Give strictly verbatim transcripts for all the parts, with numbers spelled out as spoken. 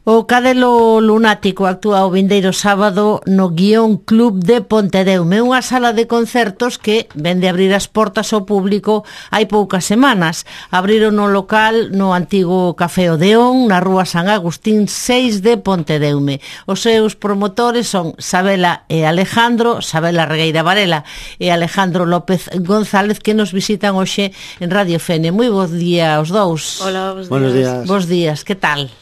O Cadelo Lunático actúa o vindeiro sábado no Guión Club de Pontedeume, unha sala de concertos que vende abrir as portas ao público hai poucas semanas. Abriron no local no antigo Café Odeón, na rúa San Agustín seis de Pontedeume. Os seus promotores son Sabela e Alejandro, Sabela Regueira Varela e Alejandro López González, que nos visitan hoxe en Radio Fene. Moi bons días aos dous. Hola, bons días. Buenos días. Bos días, que tal?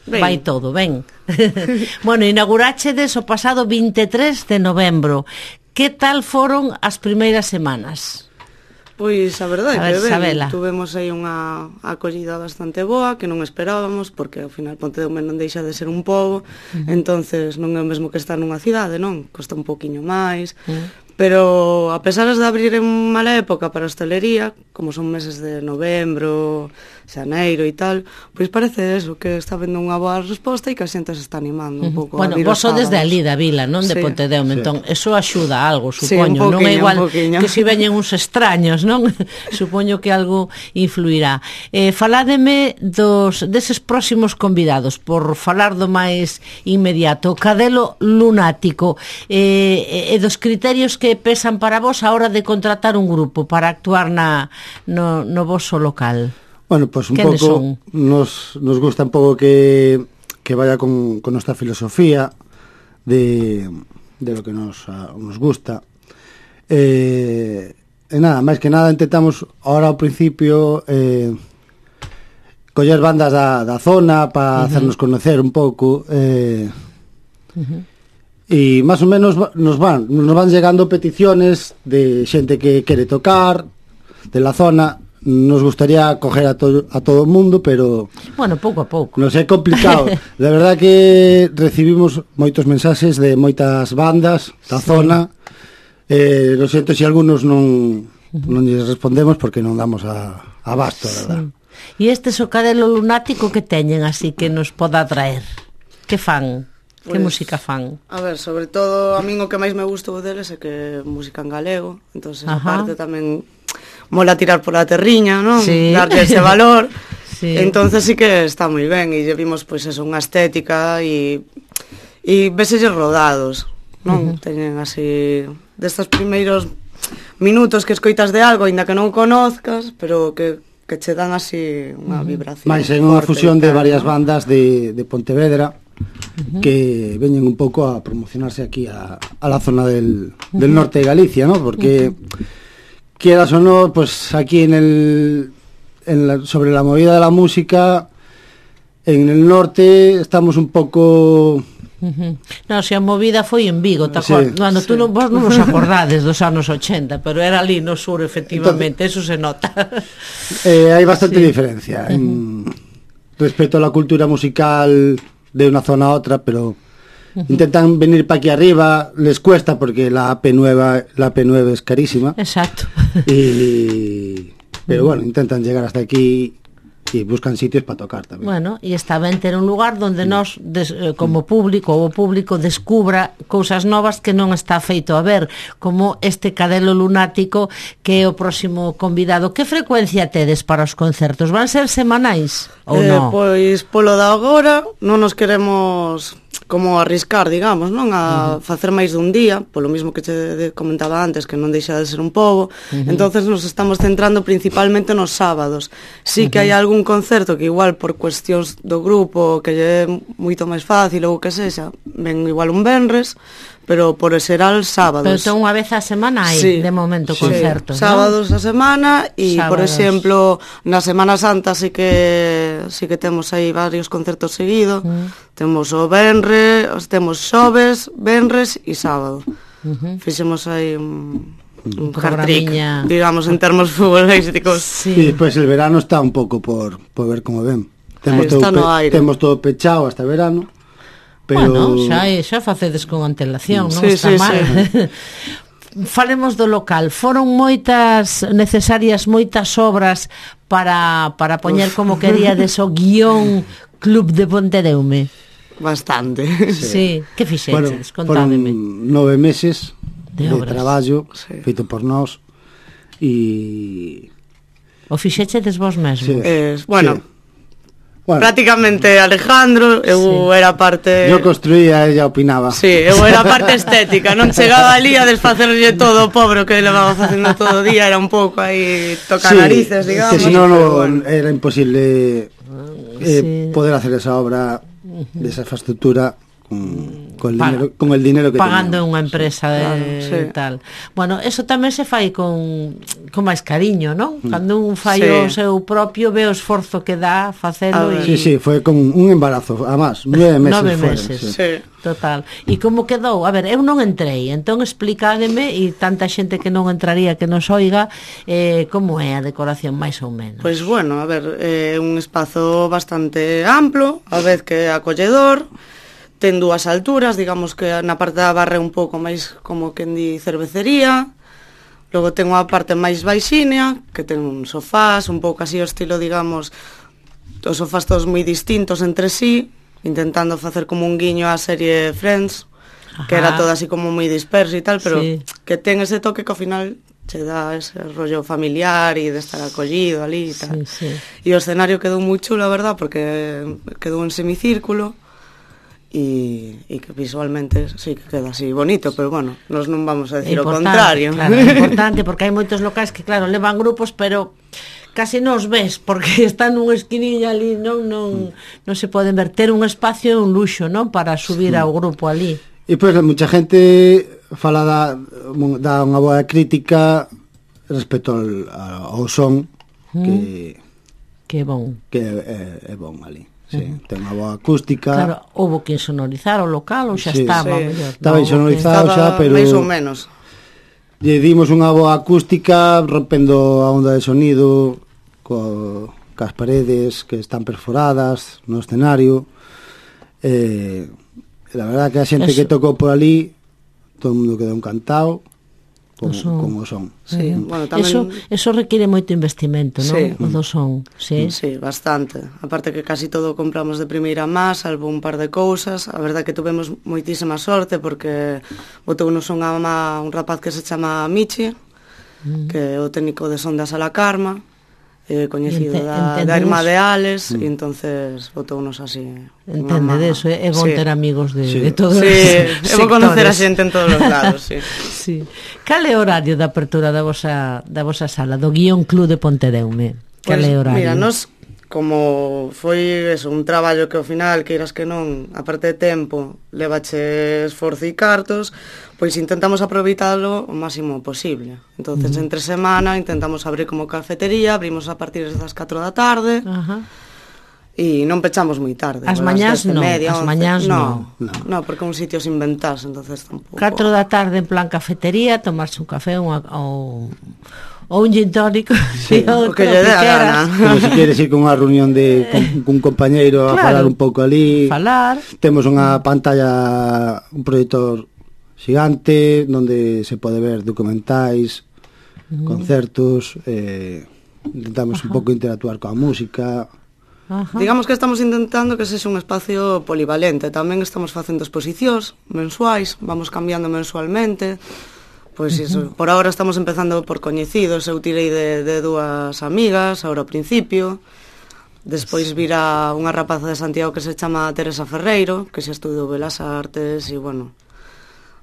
Ben. Vai todo, ben. Bueno, inaugurachedes o pasado vinte e tres de novembro. Que tal foron as primeiras semanas? Pois a verdade A ver, que ben, Sabela. tuvemos aí unha acollida bastante boa que non esperábamos, porque ao final Pontedeume non deixa de ser un pobo, uh-huh. entonces non é o mesmo que estar nunha cidade, non? Costa un poquinho máis, uh-huh. pero a pesar de abrir en mala época para a hostelería, como son meses de novembro, xaneiro e tal, pois parece eso, que está vendo unha boa resposta e que a xente se está animando un pouco. Bueno, a abrir vos os sodes de sábados. ali da vila, non de Sí. Pontedeume, Sí. entón eso axuda a algo, Sí, un supoño, non é poquinho, igual un poquinho. que si veñen uns extraños, non? Supoño que algo influirá. Eh, faládeme dos deses próximos convidados, por falar do máis inmediato, Cadelo Lunático, eh, e dos criterios que pesan para vos a hora de contratar un grupo para actuar na no, no voso local. Bueno, pues un ¿Quiénes pouco son? nos, nos gusta un pouco que, que vaya con, con nuestra filosofía de, de lo que nos, uh, nos gusta. Eh, e nada, máis que nada intentamos ahora ao principio eh, coller bandas da, da zona para uh-huh. hacernos conocer un pouco eh, uh-huh. e máis ou menos nos van, nos van llegando peticiones de xente que quere tocar de la zona. Nos gustaría coger a todo a todo o mundo, pero bueno, pouco a pouco. nos é complicado. De verdad que recibimos moitos mensaxes de moitas bandas da sí. zona. Eh, lo siento se si algunos non non lles respondemos porque non damos a abasto, verdad. Sí. E este so Cadelo Lunático que teñen así que nos poda atraer? Que fan? Que Pues, música fan? A ver, sobre todo a min o que máis me gustou deles é que música en galego, entonces Ajá. aparte tamén mola tirar pola terriña, non? Sí. Darlle ese valor. Sí. Entonces sí que está moi ben e lle vimos pois eso, unha estética e e veselles rodados, non? Uh-huh. Teñen así destes primeiros minutos que escoitas de algo, aínda que non o conozcas, pero que que che dan así unha vibración. Mais é unha fusión de varias bandas de de Pontevedra uh-huh. que veñen un pouco a promocionarse aquí a a la zona del del norte de Galicia, ¿no? Porque uh-huh. quieras o no, pues aquí en el en la, sobre la movida de la música en el norte estamos un poco Uh-huh. No, se a movida foi en Vigo, te Sí, acord... Bueno, sí. tú non, vos non vos acordades dos anos ochenta, pero era ali no sur, efectivamente, Entonces, eso se nota. eh, hai bastante Sí. diferencia en, respecto a la cultura musical de una zona a otra, pero uh-huh. intentan venir para aquí arriba, les cuesta porque la A P nueve, la A P nueve es carísima. Exacto. Y, pero bueno, intentan llegar hasta aquí y buscan sitios para tocar tamén. Bueno, e está ben ter un lugar donde nós, des, eh, como público, ou o público descubra cousas novas que non está feito a ver, como este Cadelo Lunático, que é o próximo convidado. Que frecuencia tedes para os concertos? Van ser semanais ou eh, non? Pois polo da agora non nos queremos como arriscar, digamos, non a uh-huh. facer máis dun día, polo mismo que che comentaba antes, que non deixa de ser un pobo. Uh-huh. Entonces nos estamos centrando principalmente nos sábados. Sí que uh-huh. hai algún concerto que igual por cuestións do grupo que lle é moito máis fácil ou que sexa, ven igual un venres, pero por xeral sábados. Pero ten unha vez a semana hai, sí, de momento, sí, concertos, sábados non? a semana e, por Sábados. exemplo, na Semana Santa sí que sí que temos aí varios concertos seguidos. Mm. Temos o venre, temos xoves, venres e sábado. Uh-huh. Fixemos aí un, un hat-trick, digamos, en termos futbolísticos. Sí. Y despois el verano está un pouco por, por ver como ven. Temos todo, pe, temos todo pechado hasta verano. Pero... Bueno, xa, xa facedes con antelación, non sí, está sí, mal. Sí. Falemos do local. Foron moitas necesarias, moitas obras para, para poñer como queríades o Guión Club de Pontedeume. Bastante. Sí, sí. Que fixeches? Bueno, contádeme. Foron nove meses de, de traballo sí. feito por nós e... O fixechedes vos mesmos? Sí. Eh, bueno... Sí. Bueno, prácticamente Alejandro, eu sí. era parte... Eu construía, ella opinaba. Sí, eu era parte estética, non chegaba ali a desfacerlle todo o pobre que levaba facendo todo o día, era un pouco aí tocar sí, narices, digamos. Que senón no, bueno. era imposible eh, sí. poder hacer esa obra de esa infraestructura con, con, el, pa, dinero, con el dinero que pagando teníamos. unha empresa de claro, sí. tal. Bueno, eso tamén se fai con con máis cariño, non? Mm. Cando un fai sí. o seu propio ve o esforzo que dá facelo e... Sí, sí, foi con un embarazo, además, nueve meses Nove fueron, meses, sí. sí. Total. E como quedou? A ver, eu non entrei, entón explicádeme, e tanta xente que non entraría que nos oiga, eh, como é a decoración máis ou menos? Pois bueno, a ver, é eh, un espazo bastante amplo, a vez que acolledor, ten dúas alturas, digamos que na parte da barra un pouco máis como quen di cervecería, logo ten unha parte máis baixínea, que ten un sofás, un pouco así o estilo, digamos, os sofás todos moi distintos entre sí, intentando facer como un guiño á serie Friends, ajá, que era todo así como moi disperso e tal, pero sí. que ten ese toque que ao final che dá ese rollo familiar e de estar acollido ali e tal. Sí, sí. E o escenario quedou moi chulo, a verdad, porque quedou en semicírculo, e, e que visualmente sí que queda así bonito, pero bueno, nos non vamos a decir o contrario. Claro, é importante, porque hai moitos locais que claro, levan grupos, pero casi non os ves, porque están nunha esquinilla ali, non non non se poden ver. Ter un espacio é un luxo, non? Para subir sí. ao grupo ali. E pois pues, mucha gente fala da, da unha boa crítica respecto ao, ao son mm. que que é bon. Que é, é bon ali. Sí, uh-huh. ten unha boa acústica. Claro, houbo que sonorizar o local ou xa sí, estaba sí. mellor. Estaba no, sonorizado estaba xa, pero máis ou menos. Lle dimos unha boa acústica rompendo a onda de sonido co, cas paredes que están perforadas no escenario. Eh, la verdad que a xente Eso. que tocou por ali, todo o mundo quedou encantado con, con o son. Sí, uh-huh. bueno, tamén... Eso, eso requiere moito investimento, non? Sí. O do son, sí. Sí, bastante. Aparte que casi todo compramos de primeira má, salvo un par de cousas. A verdade que tuvemos moitísima sorte porque botou no son a má un rapaz que se chama Michi, uh-huh. que é o técnico de son da Sala Karma, eh, coñecido Ente, da, da Irmá de Ales, mm. e entonces botounos así. Entende de eso, é bon sí. ter amigos de, sí. de todos sí. os sectores. É bon conocer a xente en todos os lados, sí. sí. Cal é o horario da apertura da vosa, da vosa sala, do Guión Club de Pontedeume? Cal é o horario? Mira, nos, como foi eso, un traballo que ao final, queiras que non, a parte de tempo, levache esforzo e cartos, pois intentamos aproveitalo o máximo posible. Entonces, uh-huh. entre semana intentamos abrir como cafetería, abrimos a partir das catro da tarde. Ajá. Uh-huh. E non pechamos moi tarde. As mañás non, media, as mañás non. No, no, porque é un sitio sin ventas, entonces tampouco. catro da tarde en plan cafetería, tomarse un café unha, ou, ou un gin tónico, sí, o que lle dé a gana. Como se queres ir con unha reunión de con, con un compañeiro a claro, falar un pouco ali. Falar. Temos unha pantalla, un proyector xigante onde se pode ver documentais, mm. concertos, eh, intentamos Ajá. un pouco interactuar coa música. Ajá. Digamos que estamos intentando que sexa un espacio polivalente. Tamén estamos facendo exposicións mensuais, vamos cambiando mensualmente. Pois uh-huh. iso, por agora estamos empezando por coñecidos. Eu tirei de, de dúas amigas agora ao principio. Despois vira unha rapaza de Santiago que se chama Teresa Ferreiro, que xa estudou Belas Artes e, bueno,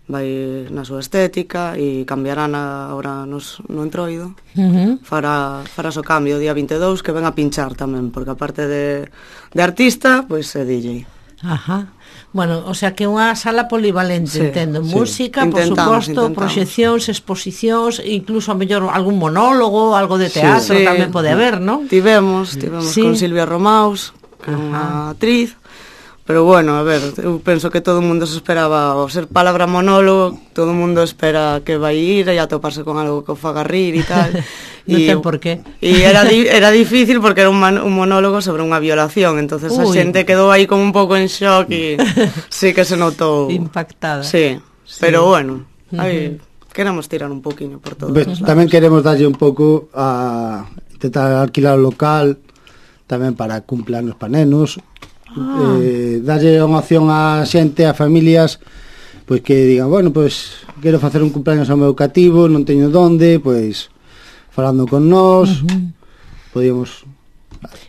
vai na súa estética e cambiará na, ahora nos, no entroido. Uh-huh. Fará, farás o cambio o día vinte e dous, que ven a pinchar tamén, porque aparte de, de artista, pois é D J. Ajá. Bueno, o sea que unha sala polivalente, sí, entendo, sí. Música, intentamos, por suposto, proxeccións, exposicións, incluso a mellor algún monólogo, algo de teatro, sí, tamén pode haber, non? Tivemos, tivemos sí. con Silvia Romaus, que é unha actriz. Pero bueno, a ver, eu penso que todo o mundo se esperaba ao ser palabra monólogo, todo o mundo espera que vai ir e atoparse con algo que o faga rir e tal. Non ten por qué. E era, di, era difícil porque era un, man, un monólogo sobre unha violación, entonces Uy. a xente quedou aí como un pouco en shock e sí que se notou impactada. Sí, sí. Pero bueno, aí uh-huh. queremos tirar un poquinho por todo. Pues, tamén queremos darlle un pouco a intentar alquilar o local tamén para cumpleanos para nenos. Ah. Eh, darlle unha opción a xente, a familias, pois que digan, bueno, pois quero facer un cumpleaños ao meu cativo, non teño donde, pois falando con nós, uh-huh. podíamos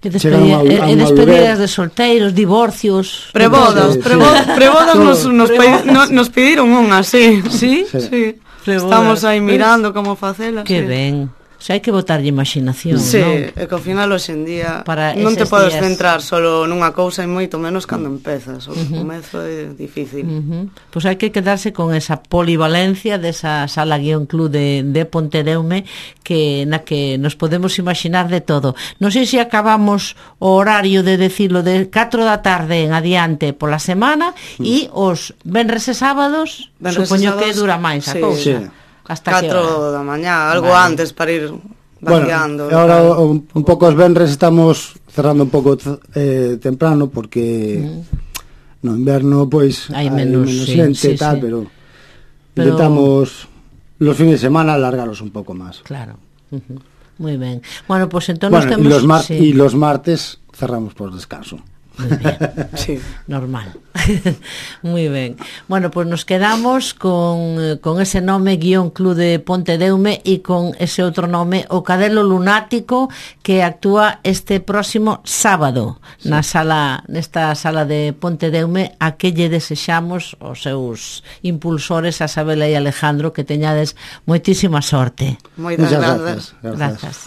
E, despedi e despedidas de solteiros, divorcios, prebodas, sí, prebodas, sí. prebodas nos, nos, prebodas. Pe, no, nos pediron unha, sí. Sí? Sí. sí. Prebodas. Estamos aí mirando como facelas. Que sí. ben. O sea, hai que botarlle imaginación, sí, non? é que ao final hoxe en día Para non te podes días. centrar solo nunha cousa e moito menos cando empezas. O uh-huh. comezo é difícil. Uh-huh. Pois pues hai que quedarse con esa polivalencia desa sala guión club de, de Pontedeume que na que nos podemos imaginar de todo. Non sei se acabamos o horario de decirlo de catro da tarde en adiante pola semana uh-huh. e os venres e sábados venres supoño sábados, que dura máis a sí, cousa. Sí. Hasta catro da mañá, algo vale. antes para ir vaciando. Bueno, ahora un, un pouco os venres estamos cerrando un pouco eh, temprano porque mm. no inverno pois hai menos, menos sí, xente sí, e tal, sí. pero, pero intentamos los fines de semana alargarlos un pouco máis. Claro. Uh-huh. Muy ben. Bueno, pues entonces bueno, temos y los, mar sí. y los martes cerramos por descanso. Muy bien. Sí. Normal. Muy ben. Bueno, pues nos quedamos con, con ese nome guión Club de Pontedeume e con ese outro nome, o Cadelo Lunático, que actúa este próximo sábado sí. na sala, nesta sala de Pontedeume, a que lle desexamos os seus impulsores, a Sabela e Alejandro, que teñades moitísima sorte. Moitas Muchas grazas. Gracias. Grazas.